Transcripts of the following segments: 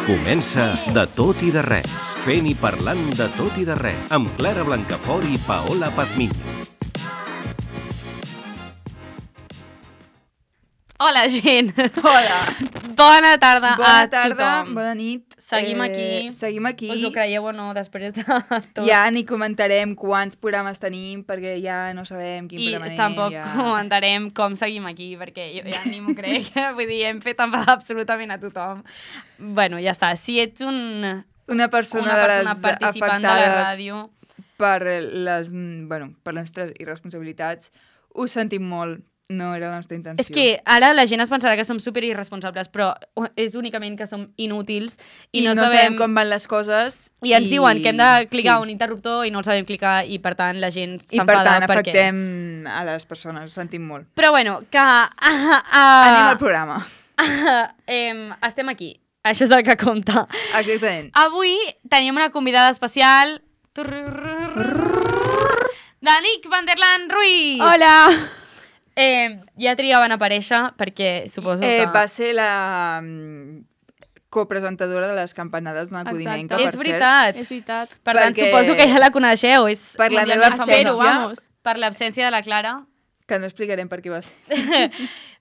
Comença De tot i de res, fent i parlant de tot i de res, amb Clara Blancafort i Paola Pazmiño. Hola, gent. Hola. Bona tarda Bona a tarda, tothom. bona nit. Seguim aquí. Seguim aquí. Us ho creieu o no, després de tot. Ja ni comentarem quants programes tenim, perquè ja no sabem quin programa anem. I tampoc comentarem com seguim aquí, perquè jo ja ni m'ho crec. Vull dir, hem fet enfadar absolutament a tothom. Bueno, ja està. Si ets una persona participant de la ràdio per les nostres irresponsabilitats, ho sentim molt. No era la nostra intenció. És que ara la gent es pensarà que som super irresponsables, però és únicament que som inútils i no sabem com van les coses. I ens diuen que hem de clicar un interruptor i no el sabem clicar i per tant la gent s'enfada. I per tant afectem a les persones, ho sentim molt. Però bueno, que... Anem al programa. Estem aquí. Això és el que compta. Exactament. Avui tenim una convidada especial. Danic Van der Laan Ruiz. Hola! Ja trigaven a aparèixer perquè suposo que... Va ser la copresentadora de les campanades d'una codinenca, per és veritat. cert. És veritat. Per tant, suposo que ja la coneixeu. És per la meva absència. Per l'absència de la Clara. Que no explicarem per què va ser.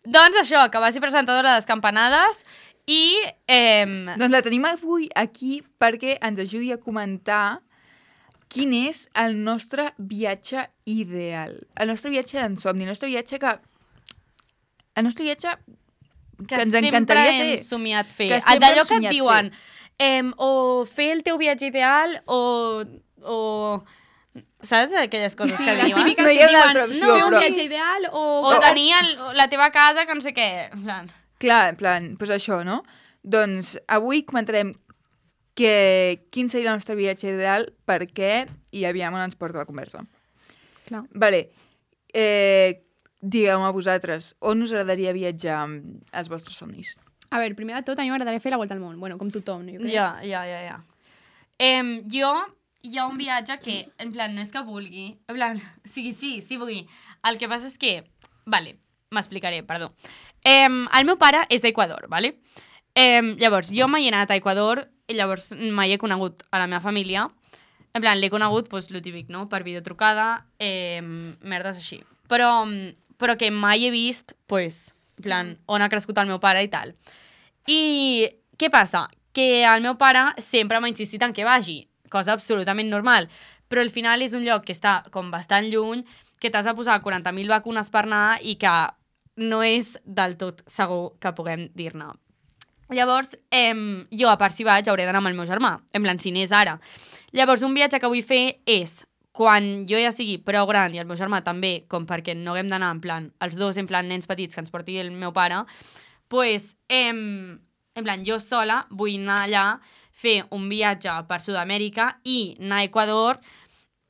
Doncs això, que va ser presentadora de les campanades i... Doncs la tenim avui aquí perquè ens ajudi a comentar quin és el nostre viatge ideal. El nostre viatge d'ensomni, el nostre viatge que ens encantaria fer. Que sempre hem somiat fer. Que d'allò que et diuen, o fer el teu viatge ideal o saps aquelles coses que diuen? Les típiques no hi ha que d'altra diuen, opció, fer un però... viatge ideal o tenir la teva casa que no sé què. Clar, en plan, doncs això, no? Doncs avui comentarem quin seria el nostre viatge ideal, per què, i aviam on ens porta la conversa. Clar. Vale. Digueu-me a vosaltres, on us agradaria viatjar als vostres somnis? A veure, primer de tot, a mi m'agradaria fer la volta al món. Bueno, com tothom, no? Ja. Jo, hi ha un viatge que, en plan, no és que vulgui, en plan, sí vulgui. El que passa és que, vale, m'explicaré, perdó. El meu pare és d'Equador, vale? Llavors, jo m'he anat a Equador i llavors mai he conegut a la meva família. En plan, l'he conegut, doncs, lo típic, no? Per videotrucada, merdes així. Però que mai he vist, doncs, en plan, on ha crescut el meu pare i tal. I què passa? Que el meu pare sempre m'ha insistit en que vagi, cosa absolutament normal, però al final és un lloc que està com bastant lluny, que t'has de posar 40.000 vacunes per anar i que no és del tot segur que puguem dir-ne. Llavors, jo, a part si vaig, hauré d'anar amb el meu germà, en plan, si n'és ara. Llavors, un viatge que vull fer és, quan jo ja sigui prou gran i el meu germà també, com perquè no haguem d'anar en plan, els dos en plan nens petits que ens porti el meu pare, doncs, en plan, jo sola vull anar allà, fer un viatge per Sud-amèrica i anar a Equador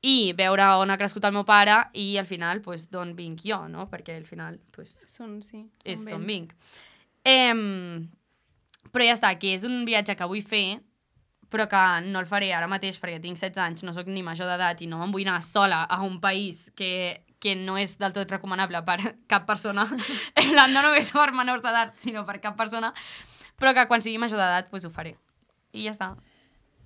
i veure on ha crescut el meu pare i al final, doncs, d'on vinc jo, no? Perquè al final, doncs, és d'on vinc. Però ja està, que és un viatge que vull fer, però que no el faré ara mateix perquè tinc 16 anys, no sóc ni major d'edat i no em vull anar sola a un país que no és del tot recomanable per cap persona. No només per menors d'edat, sinó per cap persona. Però que quan sigui major d'edat, doncs ho faré. I ja està.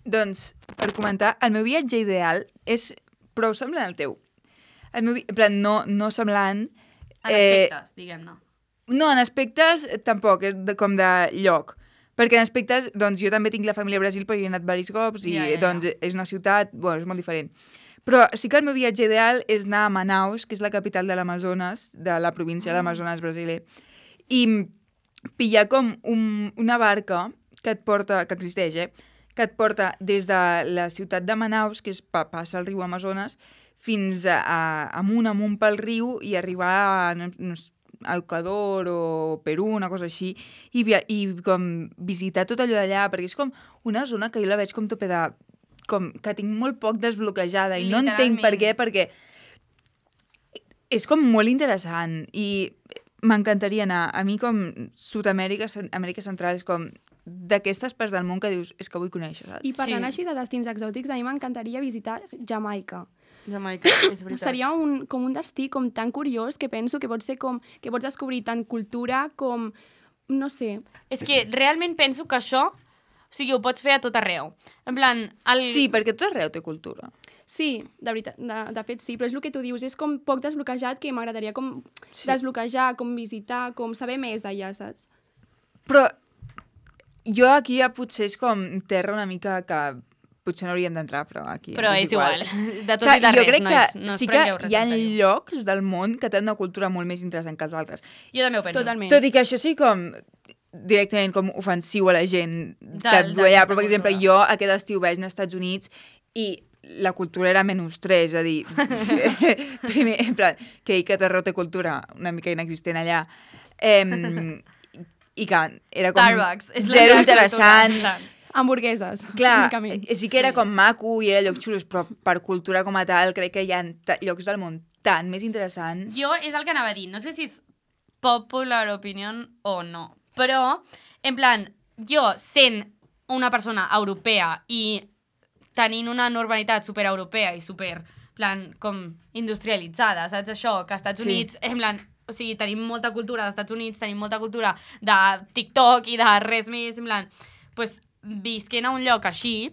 Doncs, per comentar, el meu viatge ideal és prou semblant al teu. El meu, en plan, no semblant... En aspectes, diguem-ne. No, en aspectes tampoc, és com de lloc. Perquè en aspectes, doncs jo també tinc la família a Brasil perquè he anat diversos cops i doncs és una ciutat, bueno, és molt diferent. Però sí que el meu viatge ideal és anar a Manaus, que és la capital de l'Amazones, de la província de l'Amazones brasiler, i pillar com una barca que et porta, que existeix, que et porta des de la ciutat de Manaus, que passa el riu Amazones, fins amunt pel riu i arribar a Equador o Perú, una cosa així, i com visitar tot allò d'allà, perquè és com una zona que jo la veig com topeda, com que tinc molt poc desbloquejada i no entenc per què, perquè és com molt interessant i m'encantaria anar. A mi com Sud-amèrica, Amèrica Central, és com d'aquestes parts del món que dius, és que vull conèixer, saps? I parlant així de destins exòtics, a mi m'encantaria visitar Jamaica. Jamaica, és veritat. Seria com un destí com tan curiós que penso que pot ser com que pots descobrir tant cultura com, no sé. És que realment penso que això O sigui, ho pots fer a tot arreu. En plan... Sí, perquè tot arreu té cultura. Sí, de veritat, de fet sí, però és el que tu dius, és com poc desbloquejat que m'agradaria com desbloquejar, com visitar, com saber més d'allà, saps? Però jo aquí ja potser és com terra una mica que potser no hauríem d'entrar, però aquí Però és és igual. De tot Que i de jo res, crec nois. que No sí us que prengueu res hi ha en sèrio. llocs del món que tenen una cultura molt més interessant que els altres. Jo també ho penso. Totalment. Tot i que això sí com directament com ofensiu a la gent que D'aquesta viu allà, però per exemple cultura. jo aquest estiu vaig anar als Estats Units i la cultura era -3, és a dir, primer, en plan, que dir que Terror té cultura una mica inexistent allà, i que era com Starbucks. És la zero meva interessant. cultura, en plan. Hamburgueses, Clar, únicament. sí que era com maco i era llocs xulos, però per cultura com a tal crec que hi ha llocs del món tan més interessants. Jo és el que anava a dir. No sé si és popular opinion o no. Però, en plan, jo sent una persona europea i tenint una normalitat supereuropea i super, plan, com industrialitzada, saps això? Que als Estats Units, en plan, o sigui, tenim molta cultura dels Estats Units, tenim molta cultura de TikTok i de res més, en plan, pues, visquent a un lloc així,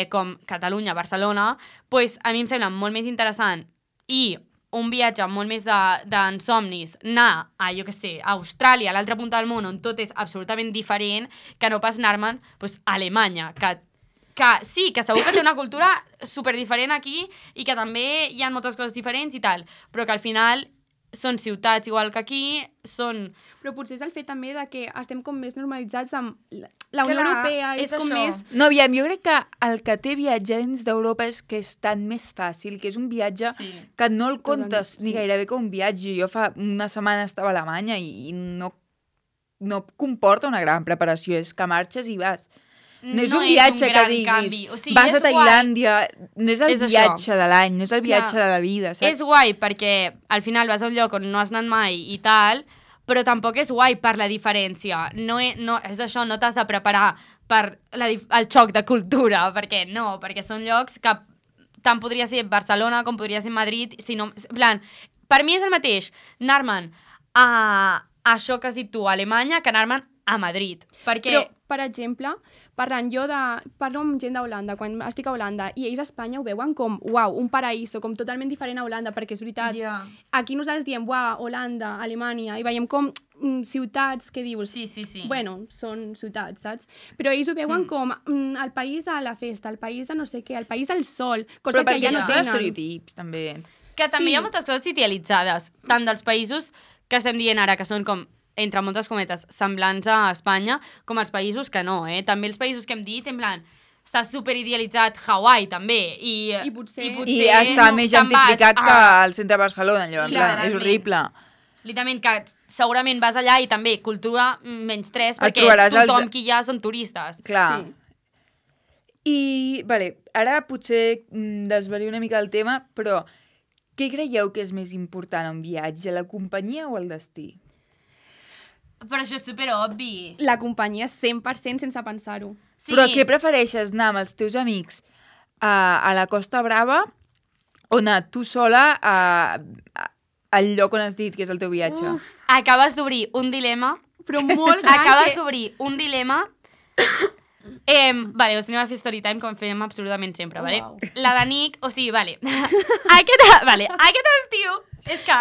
com Catalunya, Barcelona, pues, a mi em sembla molt més interessant i un viatge molt més d'ensomnis, anar a, jo què sé, a Austràlia, a l'altra punta del món, on tot és absolutament diferent, que no pas anar-me'n pues, a Alemanya, que sí, que segur que té una cultura superdiferent aquí i que també hi ha moltes coses diferents i tal, però que al final són ciutats igual que aquí, són... Però potser és el fet també de que estem com més normalitzats amb la Unió Clar, Europea, és com això. més... No, aviam, jo crec que el que té viatjar dins d'Europa és que és tan més fàcil, que és un viatge Sí. que no el comptes Totalment, ni sí. gairebé com un viatge. Jo fa una setmana estava a Alemanya i no comporta una gran preparació, és que marxes i vas. No és un viatge que gran diguis, canvi. O sigui, vas és a Tailàndia, no és el És això. viatge de l'any, no és el viatge Clar. de la vida, saps? És guai perquè al final vas a un lloc on no has anat mai i tal, però tampoc és guai per la diferència. No és això, no t'has de preparar per el xoc de cultura, perquè no, perquè són llocs que tant podria ser Barcelona com podria ser Madrid, si no, en plan, per mi és el mateix anar-me'n a això que has dit tu, a Alemanya, que anar-me'n a Madrid, perquè... Però, per exemple, parlo amb gent d'Holanda, quan estic a Holanda, i ells a Espanya ho veuen com, uau, un paraíso, com totalment diferent a Holanda, perquè és veritat, Ja. aquí nosaltres diem, uau, Holanda, Alemanya, i veiem com ciutats que dius, Sí. bueno, són ciutats, saps? Però ells ho veuen com el país de la festa, el país de no sé què, el país del sol, cosa Però que perquè ja no això són tenen. estereotips, també. Que també Sí. hi ha moltes coses idealitzades, tant dels països que estem dient ara, que són com, entre moltes cometes, semblants a Espanya, com els països que no, eh? També els països que hem dit, en plan, està superidealitzat Hawaii, també, i potser- I està més te'n vas gentrificat que a- al centre de Barcelona, allò, en plan, és Literalment. horrible. Literalment, que segurament vas allà i també cultura -3, Et perquè trobaràs tothom els- que hi ha són turistes. Clar. Sí. I, vale, ara potser desvario una mica el tema, però què creieu que és més important en un viatge, la companyia o el destí? Però això és superobvi. La companyia 100% sense pensar-ho. Sí. Però què prefereixes, anar amb els teus amics a la Costa Brava o anar tu sola al lloc on has dit que és el teu viatge? Acabes d'obrir un dilema. Però molt gran Acabes que... d'obrir un dilema. Vale, us anem a fer story time com fem absolutament sempre, Oh, vale? wow. La de Nick, o sigui, vale. Aquest estiu, és que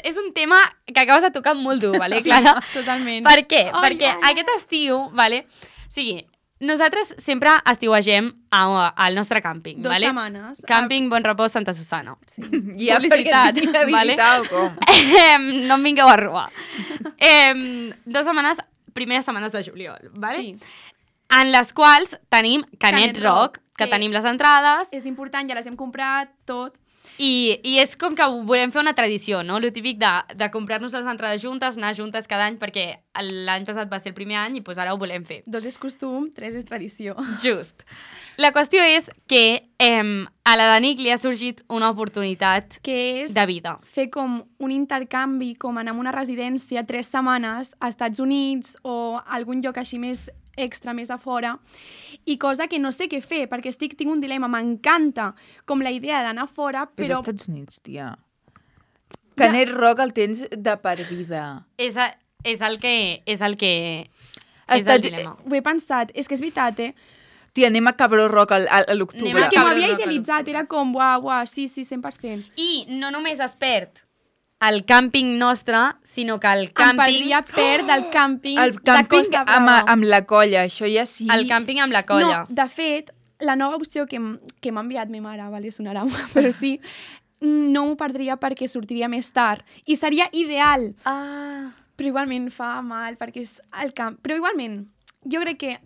és un tema que acabes de tocar molt dur, vale, Clara? Totalment. Per què? Ai, Perquè ai. aquest estiu, vale? O sigui, nosaltres sempre estiuegem al nostre càmping, 2 vale? setmanes. Càmping Bon Repòs Santa Susana. Sí. Ja Publicitat, perquè et vinc a vale? visitar o com? No em vingueu a robar. 2 setmanes, primeres setmanes de juliol, vale? Sí. En les quals tenim Canet Canet Rock, Rock, que que- tenim les entrades, És important, ja les hem comprat, tot. i és com que volem fer una tradició, no? Lo típic de comprar-nos les entrades juntes, anar juntes cada any, perquè l'any passat va ser el primer any i doncs ara ho volem fer. 2 és costum, 3 és tradició. Just. La qüestió és que a la Danic li ha sorgit una oportunitat Que és de vida. fer com un intercanvi, com anar a una residència 3 setmanes a Estats Units o algun lloc així més extra, més a fora, i cosa que no sé què fer, perquè tinc un dilema, m'encanta com la idea d'anar fora, Però... però als Estats Units, tia. Canet Rock el tens de per vida. És el que És el dilema. Ho he pensat, és que és veritat, Tia, anem a Cabró Rock a l'octubre. Anem És que Cabró m'havia Rock, idealitzat, era com, uah, sí, 100%. I no només es perd el càmping nostre, sinó que el Em càmping... perdria perd del càmping El de càmping Costa Brava. amb la colla, això ja sí. El càmping amb la colla. No, de fet, la nova opció que m'ha enviat ma mare, vale, sonarà, però sí, no m'ho perdria perquè sortiria més tard. I seria ideal. Però igualment fa mal perquè és el camp. Però igualment, jo crec que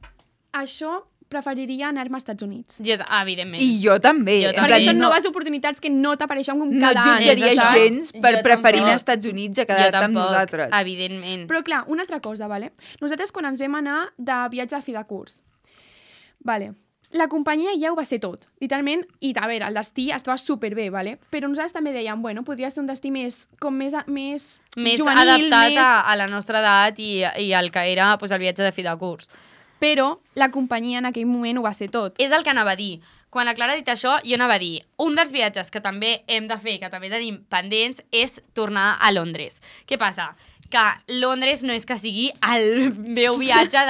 això preferiria anar-me als Estats Units. Jo, evidentment. I jo també. Jo En també. Perquè plan, són no, noves oportunitats que no t'apareixen com no cada any. jutjaria saps? gens per Jo preferir anar tampoc. als Estats Units a Jo quedar-te amb tampoc, nosaltres. evidentment. Però clar, una altra cosa, vale? Nosaltres quan ens vam anar de viatge de fi de curs, vale, la companyia ja ho va ser tot, literalment, i a veure, el destí estava superbé, vale? Però nosaltres també dèiem, bueno, podria ser un destí més juvenil, adaptat més... a la nostra edat i el que era pues, el viatge de fi de curs. Però la companyia en aquell moment ho va ser tot. És el que anava a dir. Quan la Clara ha dit això, jo anava a dir un dels viatges que també hem de fer, que també tenim pendents, és tornar a Londres. Què passa? Que Londres no és que sigui el meu viatge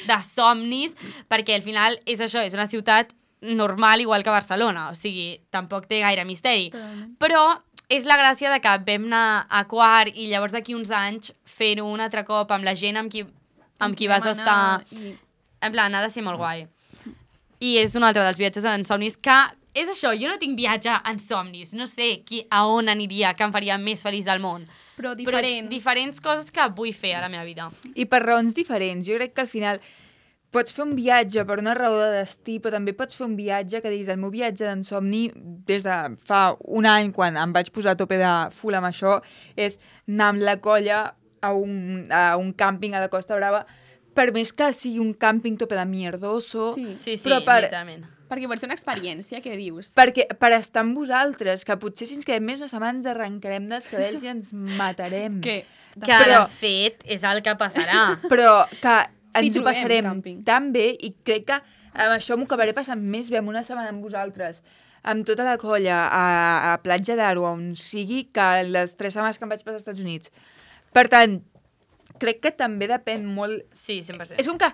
de somnis, perquè al final és això, és una ciutat normal igual que Barcelona, o sigui, tampoc té gaire misteri. Però és la gràcia de que vam anar a quart i llavors d'aquí uns anys fer-ho un altre cop amb la gent amb qui vas estar... En plan, ha de ser molt guai. I és un altre dels viatges en somnis que és això, jo no tinc viatge en somnis, no sé a on aniria que em faria més feliç del món. Però diferents. Però diferents coses que vull fer a la meva vida. I per raons diferents. Jo crec que al final pots fer un viatge per una raó de destí, però també pots fer un viatge que diguis, el meu viatge d'en somni des de fa un any, quan em vaig posar a tope de full amb això, és anar amb la colla a un càmping a la Costa Brava, per més que sigui un càmping tope de mierdoso, Sí, però literalment. Perquè vol ser una experiència, què dius? perquè per estar amb vosaltres, que potser si ens quedem més una setmana ens arrencarem dels cabells i ens matarem. Què? Que de fet és el que passarà. Però que Sí, ens ho trobem passarem càmping. tan bé i crec que amb això m'ho acabaré passant més bé amb una setmana amb vosaltres, amb tota la colla, a Platja d'Aro, on sigui, que les 3 setmanes que em vaig passar als Estats Units. Per tant, crec que també depèn molt... Sí, 100%. És com que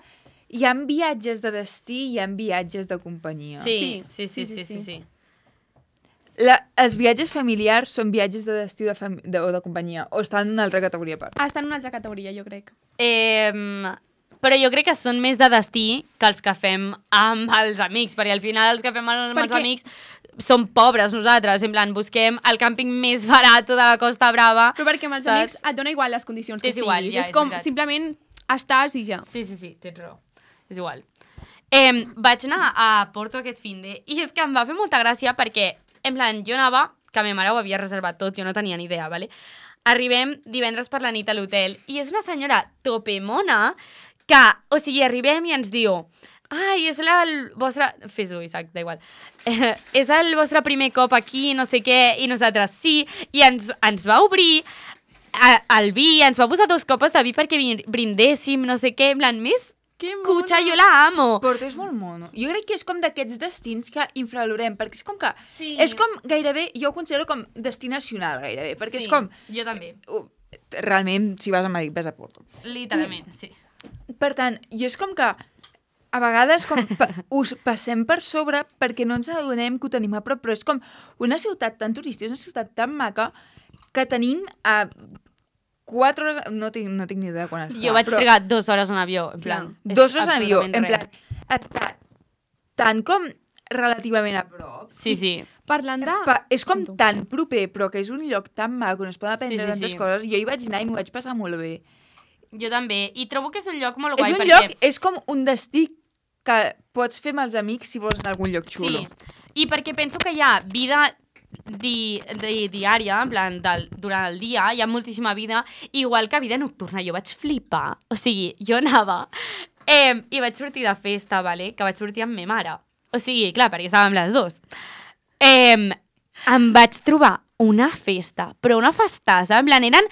hi ha viatges de destí i hi ha viatges de companyia. Sí. Els viatges familiars són viatges de destí o de companyia, o estan en una altra categoria a part. Està en una altra categoria, jo crec. Però jo crec que són més de destí que els que fem amb els amics, perquè al final els que fem amb els amics som pobres nosaltres, en plan, busquem el càmping més barat de la Costa Brava. Però perquè amb els amics et dona igual les condicions que És igual, ja, és com, veritat. simplement estàs i ja. Sí, tens raó. És igual. Vaig anar a Porto aquest finde i és que em va fer molta gràcia perquè, en plan, jo anava, que ma mare ho havia reservat tot, jo no tenia ni idea, ¿vale? Arribem divendres per la nit a l'hotel i és una senyora topemona que, o sigui, arribem i ens diu ai, és el vostre... Fes-ho, Isaac, da igual. És el vostre primer cop aquí, no sé què, i nosaltres sí, i ens va obrir el vi, ens va posar 2 copes de vi perquè brindéssim, no sé què, en plan, més cutxa, jo la amo. Porto és molt mono. Jo crec que és com d'aquests destins que infravalorem, perquè és com que... Sí. És com gairebé, jo ho considero com destí nacional, gairebé, perquè és com... Jo també. Realment, si vas a Madrid, vas a Porto. Literalment, sí. Per tant, jo és com que a vegades com us passem per sobre perquè no ens adonem que ho tenim a prop, però és com una ciutat tan turística, és una ciutat tan maca que tenim a 4 hores... No tinc ni idea quan està. Jo vaig trigar 2 hores en avió, en plan... 2 hores en avió, en plan... Està tan com relativament a prop. Sí. Parlant de... És com tan proper, però que és un lloc tan maco, on es poden aprendre tantes coses. Jo hi vaig anar i m'ho vaig passar molt bé. Jo també. I trobo que és un lloc molt guai És un perquè... lloc, és com un destí que pots fer amb els amics si vols anar a algun lloc xulo. Sí, i perquè penso que hi ha vida diària, en plan, durant el dia, hi ha moltíssima vida, igual que vida nocturna. Jo vaig flipar. O sigui, jo anava i vaig sortir de festa, vale? Que vaig sortir amb ma mare. O sigui, clar, perquè estàvem les 2. Em vaig trobar una festa, però una festassa, en plan, eren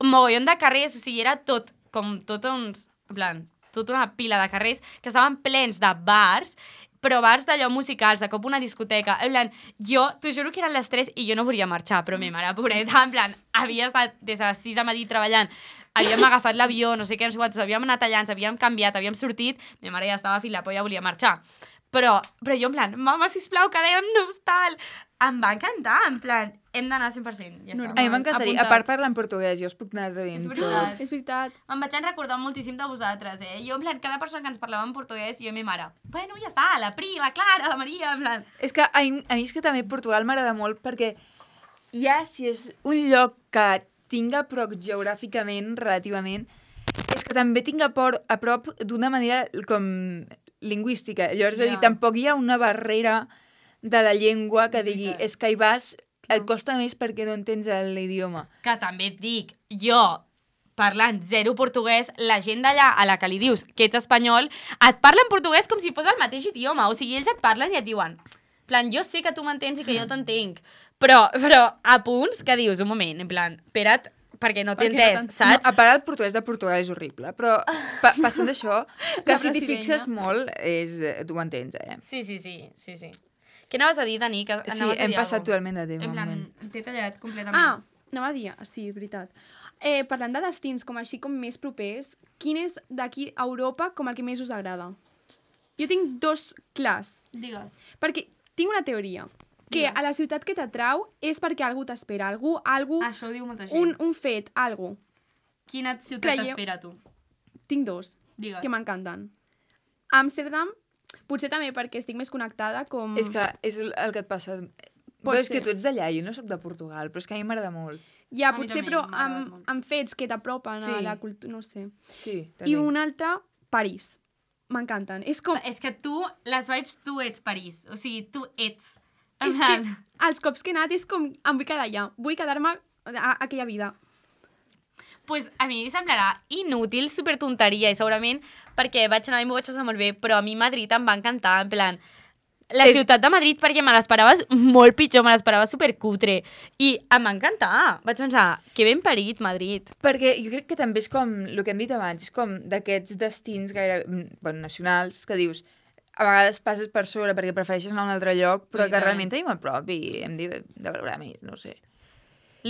mogollon de carrers, o sigui, era tot, com tot uns, en plan, tota una pila de carrers que estaven plens de bars, però bars d'allò musicals, de cop una discoteca, en plan, jo, t'ho juro que eren les 3 i jo no volia marxar, però ma mare, pobreta, en plan, havia estat des de les 6 de matí treballant havíem agafat l'avió, no sé què, no sé quantos, havíem anat allà, ens havíem canviat, havíem sortit, ma mare ja estava fil la polla, volia marxar. Però jo en plan, mama, sisplau, quedem-nos, tal. Em va encantar, en plan, hem d'anar 100%, ja està. A mi m'encantaria. Apuntat. A part parlar en portuguès, jo us puc anar traduint És tot. veritat. És veritat. Em vaig recordar moltíssim de vosaltres, Jo, en plan, cada persona que ens parlava en portuguès, jo i ma mare, bueno, ja està, la Pri, la Clara, la Maria, en plan... És que a mi és que també Portugal m'agrada molt perquè ja si és un lloc que tinga a prop geogràficament, relativament, és que també tinc a prop d'una manera com lingüística. Llavors, és a dir, Ja. tampoc hi ha una barrera de la llengua que digui, veritat. és que hi vas, et costa més perquè no entens l'idioma. Que també et dic, jo, parlant zero portuguès, la gent d'allà a la que li dius que ets espanyol, et parla en portuguès com si fos el mateix idioma. O sigui, ells et parlen i et diuen, en plan, jo sé que tu m'entens i que jo t'entenc, però a punts que dius, un moment, en plan, espera't, perquè no t'he Perquè no entès, t'entenc. saps? No, a part, el portuguès de Portugal és horrible, però passant d'això, que La si t'hi brasilenya. fixes molt, tu ho entens, Sí. Què anaves a dir, Dani? Que Sí, anaves a hem dir passat alguna totalment de tema. En un plan, moment. t'he tallat completament. Ah, anava a dir, sí, és veritat. Parlant de destins com així com més propers, quin és d'aquí a Europa com el que més us agrada? Jo tinc dos clars, Digues. perquè tinc una teoria, que Digues. a la ciutat que t'atrau és perquè algú t'espera, algú, Això ho diu molta gent. un fet, algo. Quina ciutat Creieu- t'espera, tu? Tinc dos, Digues. que m'encanten. Amsterdam, potser també perquè estic més connectada com... És que és el que et passa. Pot Però és ser. que tu ets d'allà, jo no sóc de Portugal, però és que a mi m'agrada molt. Ja, A mi potser, també però m'ha agradat molt. amb fets que t'apropen Sí. a la cultura, no sé. Sí, I un altre, París. M'encanten. És com... És que tu, les vibes, tu ets París. O sigui, tu ets. En És que plan, els cops que he anat és com... Em vull quedar allà. Vull quedar-me a aquella vida. pues a mi em semblarà inútil, super tonteria, i segurament perquè vaig anar i m'ho vaig passar molt bé, però a mi Madrid em va encantar, en plan... La ciutat de Madrid, perquè me l'esperava molt pitjor, me l'esperava supercutre. I em va encantar. Vaig pensar, que ben parit, Madrid. Perquè jo crec que també és com, el que hem dit abans, és com d'aquests destins gaire, bueno, nacionals, que dius, a vegades passes per sobre perquè prefereixes anar a un altre lloc, però que Literalment. realment tenim a prop i hem de veure més, no sé.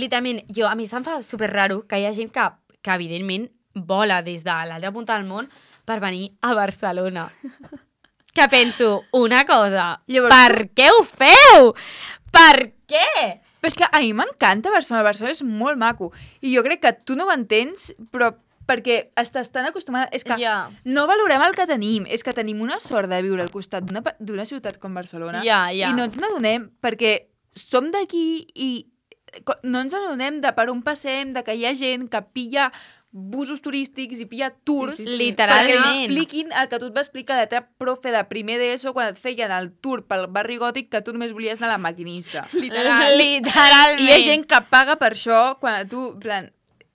Literalment, a mi se'm fa super raro que hi ha gent que evidentment vola des de l'altra punta del món per venir a Barcelona. Que penso, una cosa, Llavors, per què ho feu? Per què? Però és que a mi m'encanta Barcelona, Barcelona és molt maco. I jo crec que tu no ho entens, però perquè estàs tan acostumada... És que Ja. no valorem el que tenim, és que tenim una sort de viure al costat d'una ciutat com Barcelona Ja. i no ens n'adonem perquè som d'aquí i no ens n'adonem de per on passem, de que hi ha gent que pilla busos turístics i pilla tours Sí. Literalment. perquè li expliquin el que tu et va explicar la teva profe de primer d'ESO quan et feien el tour pel barri gòtic que tu només volies anar a la maquinista. Literalment. I hi ha gent que paga per això quan tu, en plan,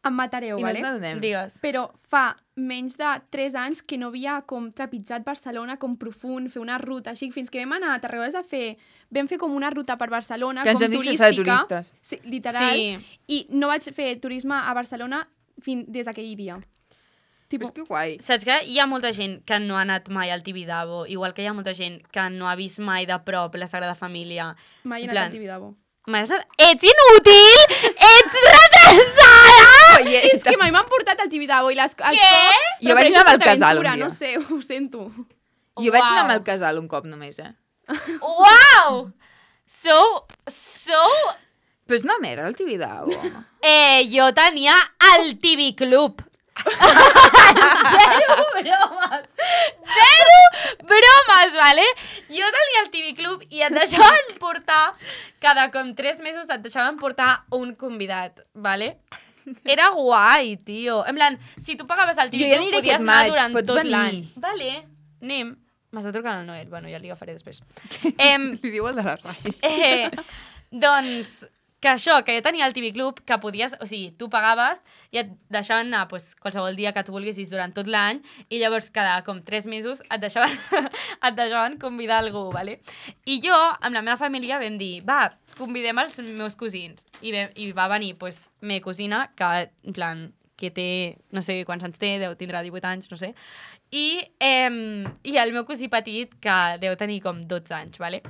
Em matareu, i no vale? ens n'adonem. Digues. Però fa menys de 3 anys que no havia com trepitjat Barcelona com profund, fer una ruta així, fins que vam anar a Tarragona a fer... Vam fer com una ruta per Barcelona, Que ens com vam disfressar de turística. turistes. Sí, literal. Sí. I no vaig fer turisme a Barcelona des d'aquell dia. Tipo, És que guai. Saps que hi ha molta gent que no ha anat mai al Tibidabo, igual que hi ha molta gent que no ha vist mai de prop la Sagrada Família. mai he En anat plan, al Tibidabo. Ets inútil! Ets retrasada! Oye, És que mai m'han portat al Tibidabo i les... Jo vaig anar amb el casal un dia. No sé, ho sento. Jo vaig anar Uau. amb el casal un cop només, Uau! So... Però és una merda el Tibidabo. Jo tenia el TV Club. Zero bromes. Zero bromes, vale? Jo tenia el TV Club i et deixaven portar, cada com 3 mesos et deixaven portar un convidat, vale? Era guai, tio. En plan, si tu pagaves el Jo TV ja Club, aniré podies aquest anar maig, durant pots tot venir. l'any. Vale, anem. M'està trucant el Noel. Bueno, ja li agafaré després. Li diu el de la ràdio. Doncs que això, que jo tenia el TV Club, que podies, o sigui, tu pagaves i et deixaven anar pues, qualsevol dia que tu volguessis durant tot l'any i llavors cada com 3 mesos et deixaven convidar algú, ¿vale? I jo, amb la meva família, vam dir, va, convidem els meus cosins. I va venir, pues, meva cosina, que, en plan, que té, no sé quants anys té, tindrà 18 anys, no sé, i el meu cosí petit, que deu tenir com 12 anys, ¿vale?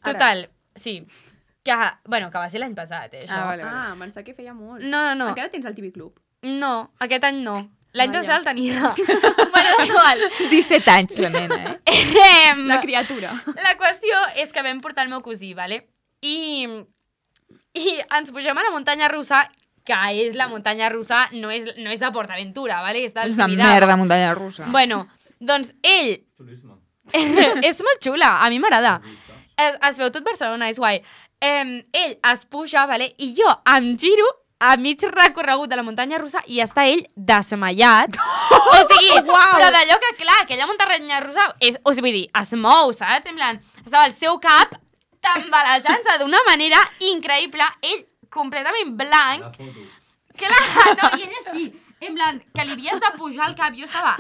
Total, sí, que va ser l'any passat, això. Ah, vale. Ah, em pensava que feia molt. No. Encara tens el TV Club? No, aquest any no. L'any Vaja. passat el tenia. Bueno, igual. 17 anys, la nena, La criatura. La qüestió és que vam portar el meu cosí, vale? I ens pugem a la muntanya russa, que és la muntanya russa, no és de PortAventura, vale? És del És una Tibidabo. merda muntanya russa. Bueno, doncs ell... és molt xula, a mi m'agrada. Es veu tot Barcelona, és guai. Ell es puja, vale? I jo em giro a mig recorregut de la muntanya russa i està ell desmaiat. O sigui, però d'allò que, clar, aquella muntanya russa o sigui, vull dir, es mou, saps? En plan, estava el seu cap tambalejant-se d'una manera increïble, ell completament blanc. Clar, no, i ell així, en plan, que li havies de pujar el cap. Jo estava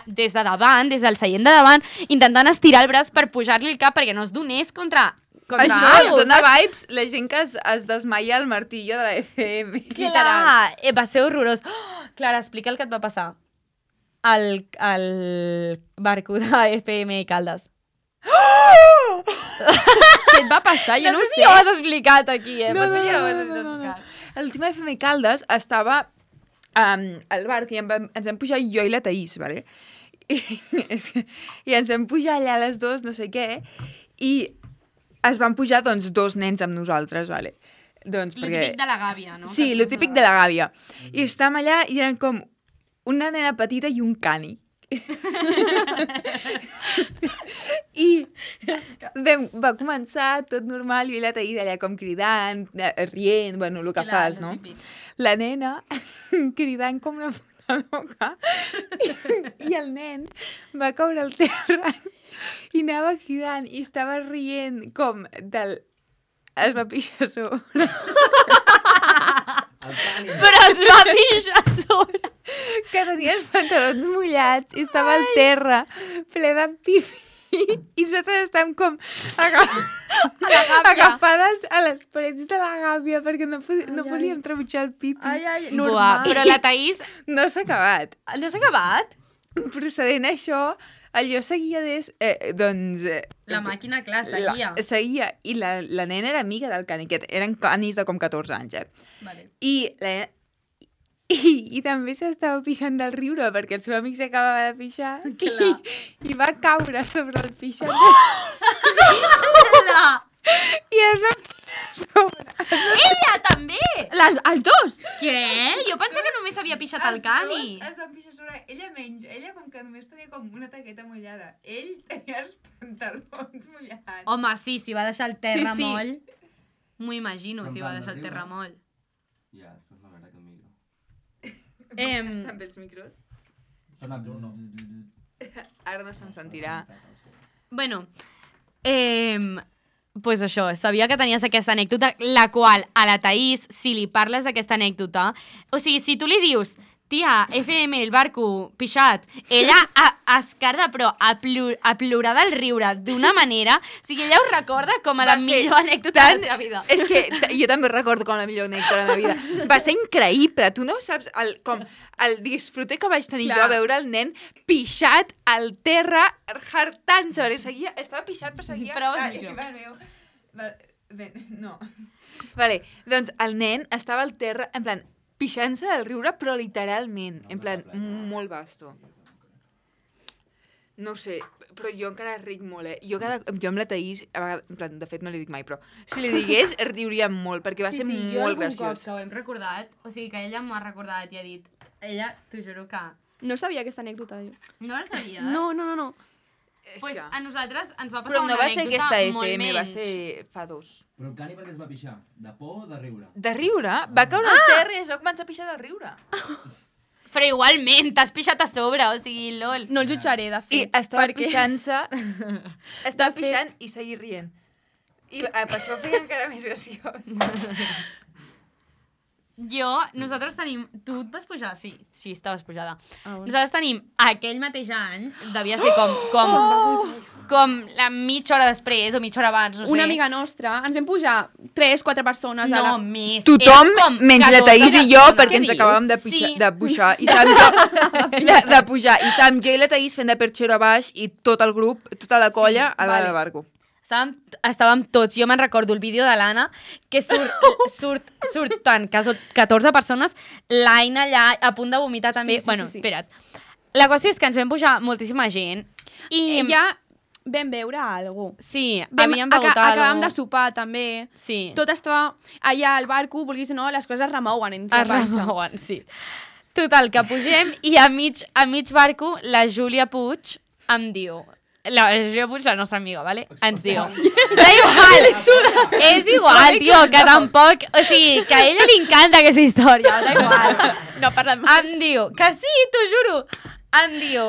des de davant, des del seient de davant, intentant estirar el braç per pujar-li el cap perquè no es donés contra Això algo, dona saps? vibes la gent que es desmaia al martillo de la FM. Clar, va ser horrorós. Oh, Clara, explica el que et va passar al barco de FM Caldes. Què et va passar? Jo no ho sé si sé. ho has explicat aquí, potser que no ho has explicat. L'última FM Caldes estava al barco i ens vam pujar jo i la Taís, ¿vale? I ens vam pujar allà a les dues, no sé què, i es van pujar, doncs, dos nens amb nosaltres, ¿vale? Doncs, Lo típic de la gàbia, no? Sí, lo típic de la gàbia. I estàvem allà i eren com una nena petita i un cani. I va començar tot normal, jo i la Taís allà com cridant, rient, bueno, el que fas, no? La nena cridant com una puta loca i el nen va caure al terra i anava cridant i estava rient com del... Es va pixar a sobre. Però es va pixar a sobre. Que tenia els pantalons mullats i estava al terra, ple de pipi. I nosaltres estàvem com agafades a les parets de la gàbia perquè no podíem trepitjar el pipi. Buah, però la Taís... No s'ha acabat. No s'ha acabat? Procedent això, allò seguia doncs... La màquina, clar, seguia. Seguia. I la nena era amiga del cani, que eren canis de com 14 anys, Vale. I també s'estava pixant del riure perquè el seu amic s'acabava de pixar i va caure sobre el pixat. I es va pixar sobre. Ella també! Els dos? Què? Jo pensava que només havia pixat el cani. Es va pixar sobre ella menys. Ella com que només tenia com una taqueta mullada. Ell tenia els pantalons mullats. Home, sí, si va deixar el terra Sí. moll. M'ho imagino, si va deixar el terra moll. Ja, després m'agrada que micro. Estan bé els micros? Sona... No. Ara no se'm sentirà. Bueno, pues això, sabia que tenies aquesta anècdota, la qual a la Taís, si li parles d'aquesta anècdota, o sigui, si tu li dius, tia, FM, el barco, pixat, ella es carda, però a plorar del riure d'una manera, o sigui, ella ho recorda com a la millor anècdota de la seva vida. És que jo també recordo com la millor anècdota de la meva vida. Va ser increïble. Tu no saps el disfrute que vaig tenir jo a veure el nen pixat al terra, hartant-se, perquè estava pixat, però seguia... Prova el micro. No. Vale, doncs el nen estava al terra, en plan, pixant-se del riure, però literalment, en plan, molt vasto. No sé, però jo encara ric molt, Jo amb la Taís, a vegades, en plan, de fet no li dic mai, però si li digués, riuríem molt, perquè va ser molt graciós. Jo algun cop que ho hem recordat, o sigui que ella m'ho ha recordat i ha dit, ella, t'ho juro que... No sabia aquesta anècdota, jo. No la sabies? No. Pues a nosaltres ens va Però passar no una va ser anècdota aquesta molt FM, va menys. ser fa 2. Però el cani per què es va pixar? De por o de riure? De riure? Va caure al terra i es va començar a pixar de riure. Però igualment, t'has pixat a sobre, o sigui, lol. No el jutjaré, de I fet. estava perquè- pixant-se, estava De fet- pixant i seguir rient. I per això ho feia encara més graciós. Nosaltres tenim... Tu et vas pujar? Sí, estaves pujada. bueno. Nosaltres tenim aquell mateix any, devia ser com la mitja hora després o mitja hora abans, no sé. Una amiga nostra, ens vam pujar 3-4 persones a No, la... més. Tothom, Eren com menys la 14 Taís i jo, persones. perquè ens Què acabàvem de dius? pujar, Sí. de pujar. I estàvem jo i la Taís fent de perxero a baix i tot el grup, tota la colla a la del barco. estàvem tots, jo me'n recordo el vídeo de l'Anna, que surten 14 persones, l'Aina allà a punt de vomitar també. Sí. Espera't. La qüestió és que ens vam pujar moltíssima gent i... Ja vam veure algú. Sí, havíem begut Acabàvem de sopar, també. Sí. Tot estava allà al barco, vulguis o no, les coses remouen en Es remouen, sí. Total, que pugem i a mig barco la Júlia Puig em diu... La Júlia Puig, la nostra amiga, ¿vale? Ens diu... Da igual! És igual, tio, que tampoc... O sigui, que a ella li encanta aquesta història, da igual. No parlem més. Em diu... Que sí, t'ho juro! Em diu...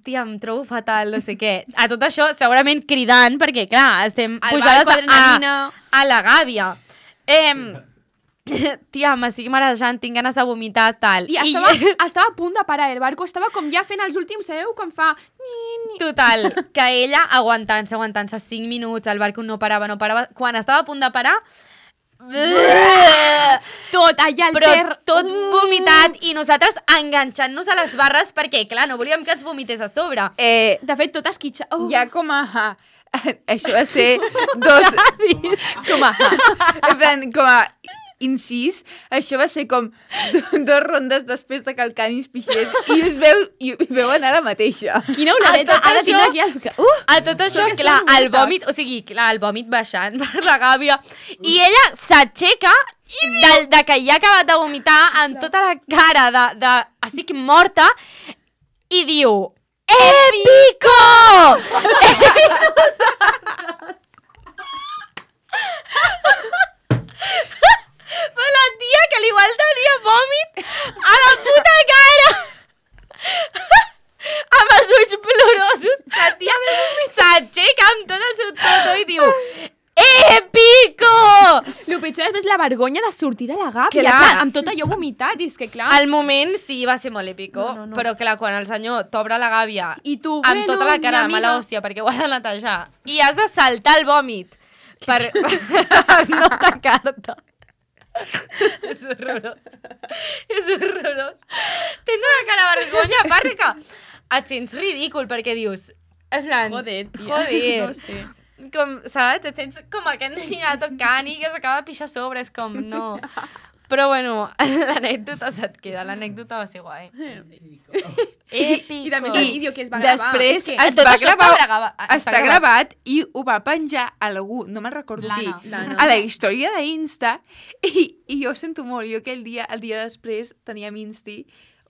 tia, em trobo fatal, no sé què. A tot això, segurament cridant, perquè, clar, estem Al pujades barco, adrenalina. a la gàbia. Tia, m'estic marejant, tinc ganes de vomitar, tal. I estava a punt de parar, el barco estava com ja fent els últims, sabeu? Com fa... Total, que ella aguantant-se 5 minuts, el barco no parava. Quan estava a punt de parar... Tot allà al Però ter... tot vomitat i nosaltres enganxant-nos a les barres perquè, clar, no volíem que ens vomités a sobre. De fet, tot esquitxa... Hi ha com a... Això va ser com a incís, això va ser com 2 rondes després de que el canis pixés i us veu anar la mateixa. Quina oladeta ha de tenir aquí asca. A tot això, clar, el vòmit, o sigui, clar, el vòmit baixant per la gàbia i ella s'aixeca de que ja ha acabat de vomitar amb tota la cara de estic morta i diu EPICO! Però la tia que igual tenia vòmit a la puta cara amb els ulls plorosos, la tia s'aixeca amb tot el seu toto i diu EPICO! El pitjor és la vergonya de sortir de la gàbia, Clar. amb tot allò vomitat, i és que clar... Al moment sí va ser molt èpico, No. però clar, quan el senyor t'obre la gàbia I tu, amb tota la cara de mi mala amiga... hòstia perquè ho ha de netejar i has de saltar el vòmit per no tacar-te. És horrorós. És horrorós. Tens una cara de vergonya, a part que et sents ridícul perquè dius... En plan, Joder, tia. Joder. No sé. Com, saps? Et sents com aquest niña tocant i que s'acaba de pixar a sobre, és com, no. Però bueno, l'anècdota se't queda, l'anècdota va ser guai. Èpico. I també el vídeo que es va gravar. Després És que es tot va això gravar, està està gravat i ho va penjar algú, no me'n recordo L'Anna. qui, L'Anna. a la història d'Insta i jo ho sento molt, jo aquell dia, el dia després teníem Insti,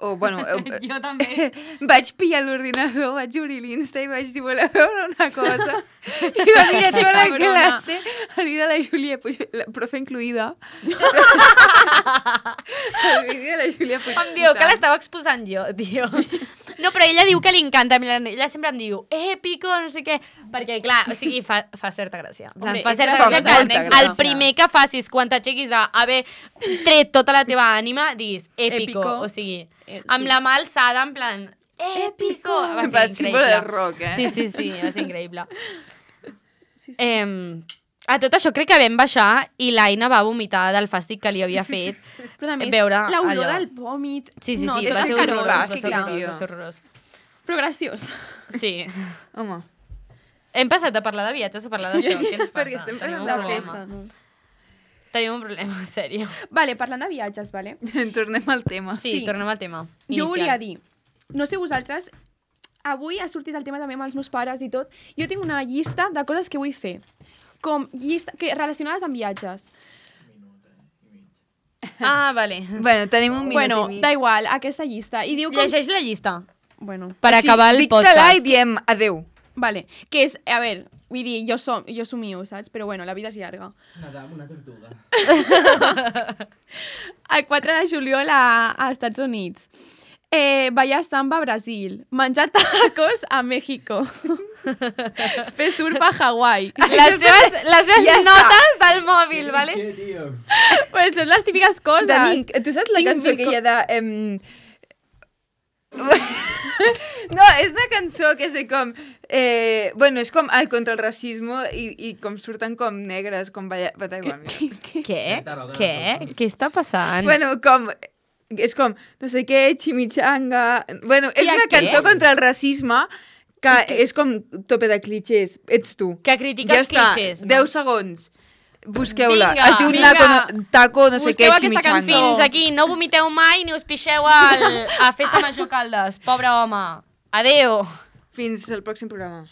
o bueno, Jo també. vaig pillar l'ordinador, vaig obrir l'Insta i vaig dir, voleu veure una cosa? I va mirar tota la cabrona. classe, el vídeo de la Júlia Puig, la profe incluïda. El vídeo de la Júlia Puig. Em diu que l'estava exposant jo, tio. No, però ella diu que li encanta. Ella sempre em diu, èpico, no sé què. Perquè, clar, o sigui, fa certa gràcia. En plan, Hombre, fa és certa gràcia, gràcia que gràcia. el primer que facis quan t'aixequis d'haver tret tota la teva ànima, diguis, èpico. Èpico. O sigui, Sí. amb la mà alçada, en plan, èpico. Va Va ser ser símbol increïble. del rock, Sí, va ser increïble. Sí. A tot això crec que vam baixar i l'Aina va vomitar del fàstic que li havia fet. Però a més, veure l'olor allò. del vòmit... Sí, no, és va ser que horrorós, va va ser ser horrorós, tio. va ser horrorós. Però graciós. Sí. Home, Hem passat de parlar de viatges a parlar d'això. Què ens passa? Perquè estem Tenim un parlant de problema. festes. No? Tenim un problema, en sèrio. Vale, parlant de viatges, vale? tornem al tema. Sí, tornem al tema. Jo volia dir, no sé vosaltres, avui ha sortit el tema també amb els meus pares i tot, jo tinc una llista de coses que vull fer, com llista, relacionades amb viatges. Ah, vale. Bueno, tenim un minut Bueno, i mig. da igual, aquesta llista. I diu com... Llegeix la llista Bueno, per Així, acabar el dicta-la podcast. i diem adeu. vale, que és, a veure, vull dir, jo somio, saps? Però bueno, la vida és llarga. Nadar amb una tortuga. El 4 de juliol a Estats Units. Ballar samba a Brasil. Menjar tacos a México. Fer surf a Hawaii. Les seves Ja està. notes del mòbil, vale? Sí, tio. Pues són les típiques coses. Dani, tu saps la Tinc cançó mil que hi ha de... No, és una cançó que sé com... bueno, és com contra el racisme i com surten com negres, com bata igual. Què? Què? Què està passant? Bueno, com... És com, no sé què, chimichanga... Bueno, és Tia, una què? cançó contra el racisme Que és com tope de clichés. Ets tu. Que critica els clichés. Ja està, 10 segons. Busqueu-la. Vinga, Es diu vinga. Taco no sé què, Busqueu aquesta chimichanga. cançó. Fins aquí, no vomiteu mai ni us pixeu a Festa Major Caldes. Pobre home. Adeu. Fins al pròxim programa.